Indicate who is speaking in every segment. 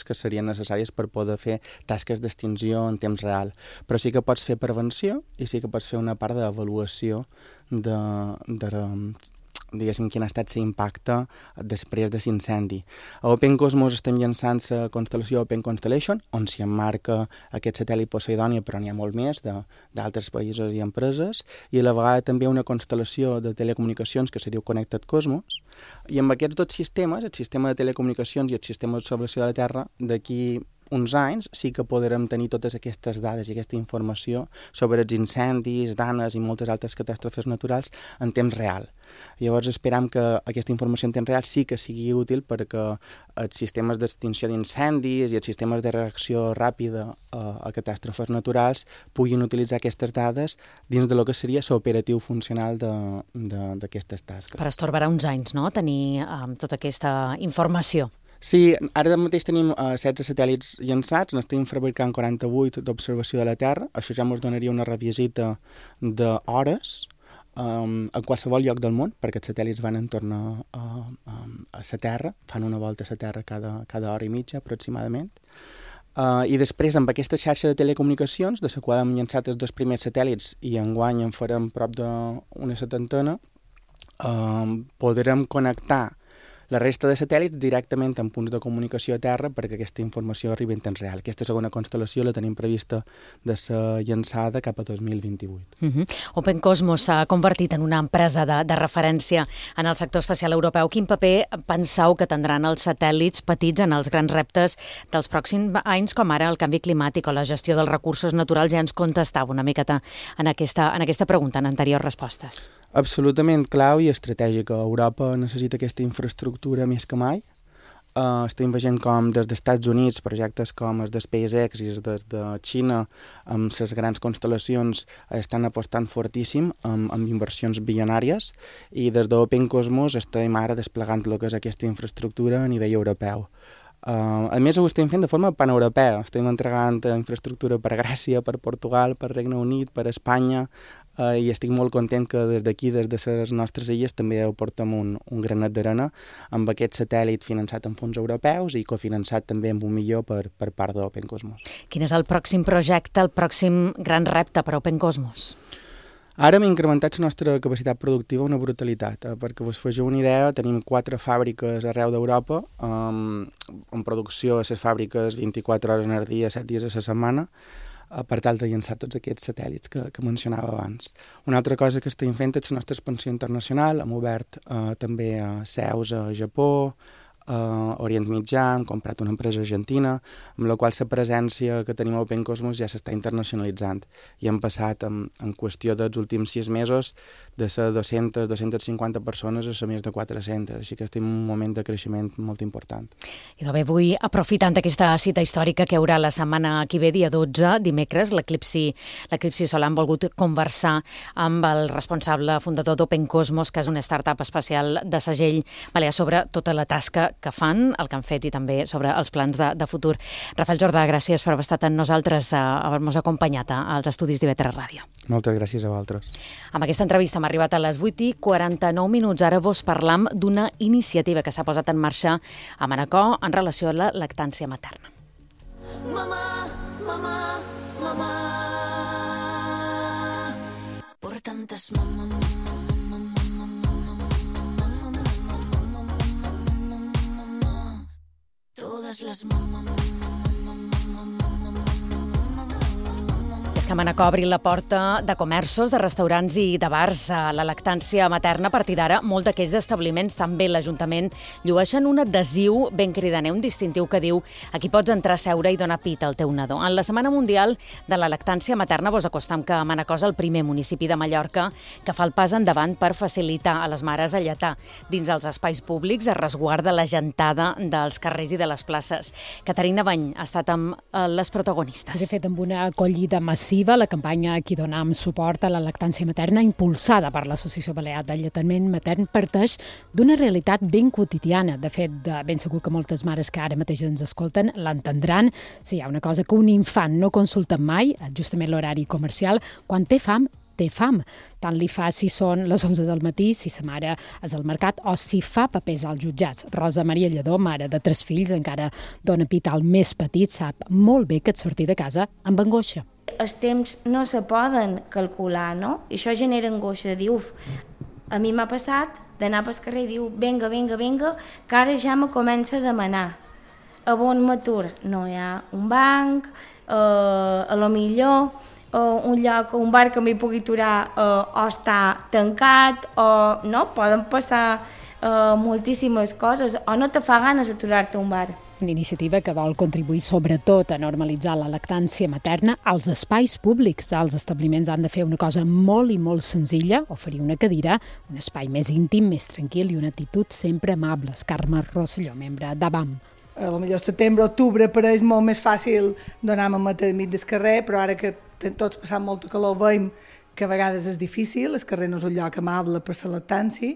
Speaker 1: que serien necessàries per poder fer tasques d'extinció en temps real. Però sí que pots fer prevenció i sí que pots fer una part d'avaluació diguéssim, quin ha estat l'impacte després de l'incendi. A Open Cosmos estem llançant la constel·lació Open Constellation, on s'hi emmarca aquest satèl·lit Poseidònia, però n'hi ha molt més d'altres països i empreses, i a la vegada també una constel·lació de telecomunicacions que se diu Connected Cosmos. I amb aquests dos sistemes, el sistema de telecomunicacions i el sistema d'observació de la Terra, d'aquí uns anys sí que podrem tenir totes aquestes dades i aquesta informació sobre els incendis, danes i moltes altres catàstrofes naturals en temps real. Llavors esperam que aquesta informació en temps real sí que sigui útil perquè els sistemes d'extinció d'incendis i els sistemes de reacció ràpida a catàstrofes naturals puguin utilitzar aquestes dades dins de lo que seria l'operatiu funcional d'aquestes tasques.
Speaker 2: Per estorbarà uns anys, no?, tenir tota aquesta informació.
Speaker 1: Sí, ara mateix tenim 16 satèl·lits llançats, n'estem fabricant 48 d'observació de la Terra, això ja ens donaria una revisita d'hores a qualsevol lloc del món, perquè els satèl·lits van en torn a la Terra, fan una volta a la Terra cada hora i mitja aproximadament. I després, amb aquesta xarxa de telecomunicacions, de la qual hem llançat els 2 primers satèl·lits i enguany en farem prop d'una 70, podrem connectar la resta de satèl·lits directament en punts de comunicació a terra perquè aquesta informació arribi en temps real. Aquesta segona constel·lació la tenim prevista de ser llançada cap a 2028.
Speaker 2: Open Cosmos s'ha convertit en una empresa de referència en el sector espacial europeu. Quin paper penseu que tindran els satèl·lits petits en els grans reptes dels pròxims anys, com ara el canvi climàtic o la gestió dels recursos naturals? Ja ens contestava una miqueta en aquesta pregunta, en anteriors respostes.
Speaker 1: Absolutament clau i estratègica. Europa necessita aquesta infraestructura més que mai. Estem veient com des dels Estats Units projectes com els de SpaceX i des de Xina amb les grans constel·lacions estan apostant fortíssim amb inversions bilionàries i des d'Open Cosmos estem ara desplegant el que és aquesta infraestructura a nivell europeu. A més, ho estem fent de forma paneuropea. Estem entregant infraestructura per Grècia, per Portugal, per Regne Unit, per Espanya, i estic molt content que des d'aquí, des de les nostres illes, també aportem un granet d'arena amb aquest satèl·lit finançat amb fons europeus i cofinançat també amb $1 milió per part d'Open Cosmos.
Speaker 2: Quin és el pròxim projecte, el pròxim gran repte per Open Cosmos?
Speaker 1: Ara hem incrementat la nostra capacitat productiva una brutalitat. Perquè us feu una idea, tenim 4 fàbriques arreu d'Europa, en producció a les fàbriques 24 hores al dia, 7 dies a la setmana, per tal de llançar tots aquests satèl·lits que mencionava abans. Una altra cosa que estem fent és la nostra expansió internacional. Hem obert també seus a Japó, Orient Mitjà, hem comprat una empresa argentina, amb la qual la presència que tenim a Open Cosmos ja s'està internacionalitzant. I hem passat en qüestió dels últims 6 mesos de ser 200-250 persones a ser més de 400, així que estem en un moment de creixement molt important.
Speaker 2: I bé, avui, aprofitant aquesta cita històrica que hi haurà la setmana que ve, dia 12, dimecres, l'Eclipsi Solar, han volgut conversar amb el responsable fundador d'Open Cosmos, que és una startup espacial de segell balear, sobre tota la tasca que fan, el que han fet i també sobre els plans de futur. Rafael Jordà, gràcies per haver estat amb nosaltres, haver-nos acompanyat als estudis d'IV3 Ràdio.
Speaker 1: Moltes gràcies a vosaltres.
Speaker 2: Amb aquesta entrevista hem arribat a les 8:49. Ara vos parlam d'una iniciativa que s'ha posat en marxa a Manacor en relació a la lactància materna. Mamà, mamà, mamà, por tantes mamà. Les És que Manacor obri la porta de comerços, de restaurants i de bars a la lactància materna. A partir d'ara, molts d'aquells establiments, també l'Ajuntament, llueixen un adhesiu ben cridaner, un distintiu que diu: aquí pots entrar a seure i donar pit al teu nadó. En la Setmana Mundial de la Lactància Materna vos acostam que Manacor és el primer municipi de Mallorca que fa el pas endavant per facilitar a les mares a lletar dins els espais públics, a resguard de la gentada dels carrers i de les places. Caterina Bany ha estat amb les protagonistes.
Speaker 3: De fet, amb una acollida massiva, la campanya Qui donam suport a la lactància materna, impulsada per l'Associació Balear de Lletament Matern, parteix d'una realitat ben quotidiana. De fet, ben segur que moltes mares que ara mateix ens escolten l'entendran. Si hi ha una cosa que un infant no consulta mai, justament l'horari comercial, quan té fam té fam. Tant li fa si són les 11 del matí, si sa mare és al mercat o si fa papers als jutjats. Rosa Maria Lledó, mare de 3 fills, encara dona pit al més petit, sap molt bé que et sortir de casa amb angoixa.
Speaker 4: Els temps no se poden calcular, no? I això genera angoixa, de dir, a mi m'ha passat d'anar pel carrer i diu, vinga, que ara ja me comença a demanar. A on m'atur? No hi ha un banc, a lo millor un lloc, un bar que m'hi pugui aturar o està tancat, o no, poden passar moltíssimes coses, o no te fa ganes aturar-te a un bar.
Speaker 3: Una iniciativa que vol contribuir sobretot a normalitzar la lactància materna als espais públics. Els establiments han de fer una cosa molt i molt senzilla, oferir una cadira, un espai més íntim, més tranquil i una actitud sempre amable. Carme Rosselló, membre d'ABAM.
Speaker 5: A lo millor setembre, octubre, pareix molt més fàcil donar mamet al mig del carrer, però ara que tots passant molta calor veiem que a vegades és difícil, el carrer no és un lloc amable per la lactància,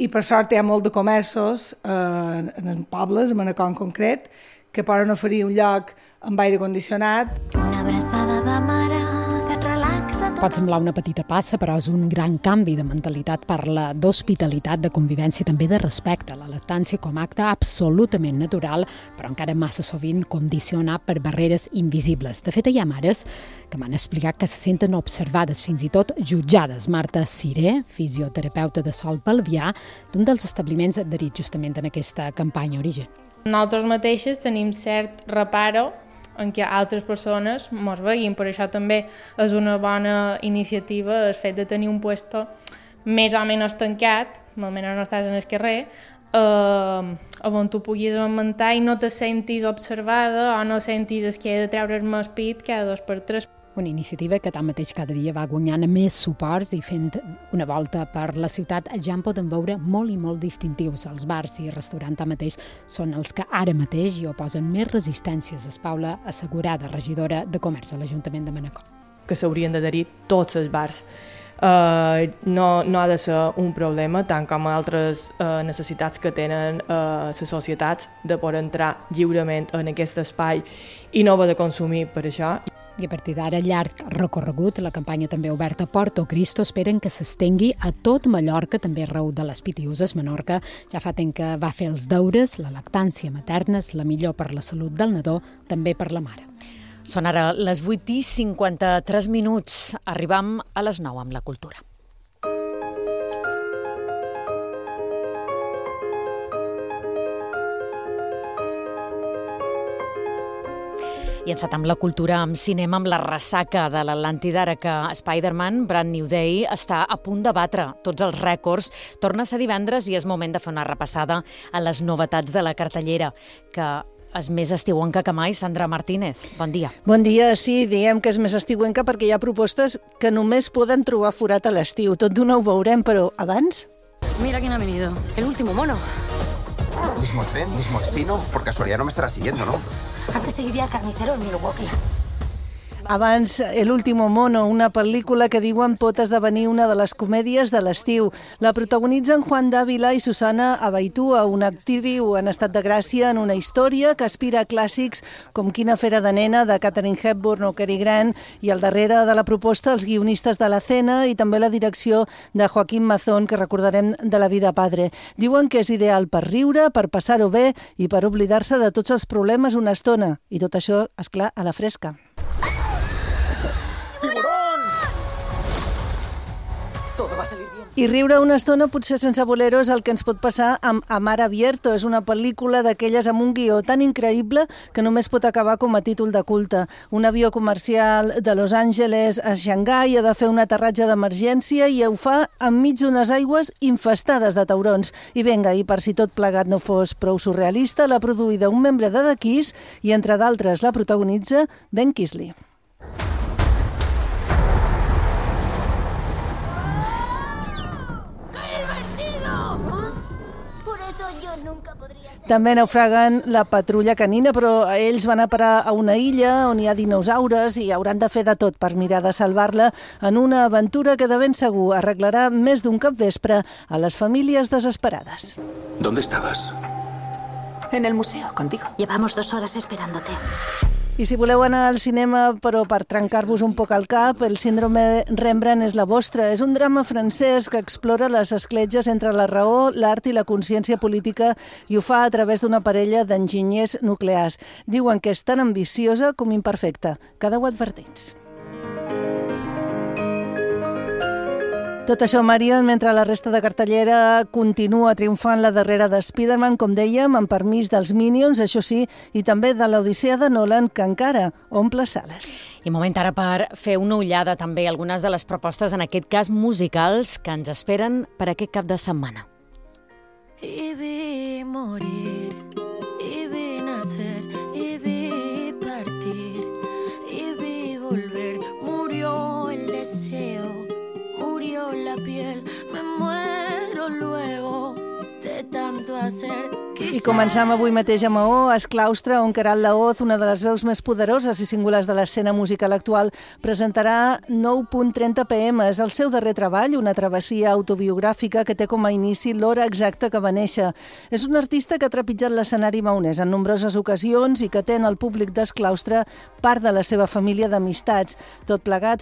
Speaker 5: i per sort hi ha molt de comerços en els pobles, en Manacor en concret, que poden oferir un lloc amb aire condicionat.
Speaker 6: Una abraçada de mare que et relaxa.
Speaker 3: Pot semblar una petita passa, però és un gran canvi de mentalitat. Parla d'hospitalitat, de convivència, també de respecte a la lactància com a acte absolutament natural, però encara massa sovint condicionat per barreres invisibles. De fet, hi ha mares que m'han explicat que se senten observades, fins i tot jutjades. Marta Ciré, fisioterapeuta de Sol Pelvià, d'un dels establiments adherits justament en aquesta campanya Origen.
Speaker 7: Nosaltres mateixes tenim cert reparo en què altres persones ens veguin, per això també és una bona iniciativa el fet de tenir un puesto més o menys tancat, almenys no estàs en el carrer, on tu puguis augmentar i no te sentis observada o no sentis que he de treure's-me el pit cada 2 per 3.
Speaker 3: Una iniciativa que tanmateix cada dia va guanyant més suports i fent una volta per la ciutat ja en poden veure molt i molt distintius. Els bars i restaurants tanmateix són els que ara mateix hi oposen més resistències. És Paula Assegurada, regidora de Comerç a l'Ajuntament de Manacor.
Speaker 8: Que s'haurien d'adherir tots els bars. No ha de ser un problema, tant com altres necessitats que tenen les societats de poder entrar lliurement en aquest espai i no haver de consumir per això.
Speaker 3: I a partir d'ara, llarg recorregut, la campanya també oberta a Porto Cristo, esperen que s'estengui a tot Mallorca, també arreu de les Pitiüses. Menorca ja fa temps que va fer els deures, la lactància materna és la millor per la salut del nadó, també per la mare.
Speaker 2: Són ara les 8:53. Arribam a les 9 amb la cultura. I encetam la cultura amb cinema, amb la ressaca de l'Atlàntida, ara que Spider-Man Brand New Day està a punt de batre tots els rècords. Torna a ser divendres i és moment de fer una repassada a les novetats de la cartellera, que és més estiuenca que mai. Sandra Martínez, bon dia.
Speaker 9: Bon dia, sí, diem que és més estiuenca perquè hi ha propostes que només poden trobar forat a l'estiu. Tot d'una ho veurem, però abans...
Speaker 10: Mira quién ha venido, el último mono.
Speaker 11: Mismo tren, mismo destino, por casualidad no me estará siguiendo, ¿no?
Speaker 10: Antes seguiría el carnicero en Milwaukee.
Speaker 9: Abans, El último mono, una pel·lícula que diuen pot esdevenir una de les comèdies de l'estiu. La protagonitzen Juan Dávila i Susana Abaitua, una actriu en estat de gràcia en una història que aspira a clàssics com Quina fera de nena, de Katharine Hepburn o Cary Grant, i al darrere de la proposta els guionistes de La Cena i també la direcció de Joaquín Mazón, que recordarem de La vida padre. Diuen que és ideal per riure, per passar-ho bé i per oblidar-se de tots els problemes una estona. I tot això, esclar, a la fresca. I riure una estona, potser sense voler-ho, és el que ens pot passar amb Amar Abierto. És una pel·lícula d'aquelles amb un guió tan increïble que només pot acabar com a títol de culte. Un avió comercial de Los Angeles a Xangai ha de fer un aterratge d'emergència i ho fa enmig d'unes aigües infestades de taurons. I vinga, i per si tot plegat no fos prou surrealista, l'ha produïda un membre de The Kiss i, entre d'altres, la protagonitza Ben Kingsley. També naufraguen La patrulla canina, però ells van a parar a una illa on hi ha dinosaures i hauran de fer de tot per mirar de salvar-la en una aventura que de ben segur arreglarà més d'un capvespre a les famílies desesperades.
Speaker 11: ¿Dónde estabas?
Speaker 10: En el museo, contigo. Llevamos 2 horas esperándote.
Speaker 9: I si voleu anar al cinema, però per trencar-vos un poc el cap, El síndrome Rembrandt és la vostra. És un drama francès que explora les escletges entre la raó, l'art i la consciència política i ho fa a través d'una parella d'enginyers nuclears. Diuen que és tan ambiciosa com imperfecta. Quedeu advertits. Tot això, Marion, mentre la resta de cartellera continua triomfant la darrera de Spider-Man, com dèiem, amb permís dels Minions, això sí, i també de l'Odissea de Nolan, que encara omple sales.
Speaker 2: I moment ara per fer una ullada també a algunes de les propostes, en aquest cas musicals, que ens esperen per aquest cap de setmana.
Speaker 6: Y vi morir, y vi nacer, y vi partir, y vi volver. Murió el deseo, murió la piel, me muero luego de tanto hacer.
Speaker 9: I començam avui mateix a Maó, a Esclaustre, on Queralt Laoz, una de les veus més poderoses i singulars de l'escena musical actual, presentarà 9.30 PM. És el seu darrer treball, una travessia autobiogràfica que té com a inici l'hora exacta que va néixer. És un artista que ha trepitjat l'escenari maonès en nombroses ocasions i que té en el públic d'Esclaustre part de la seva família d'amistats. Tot plegat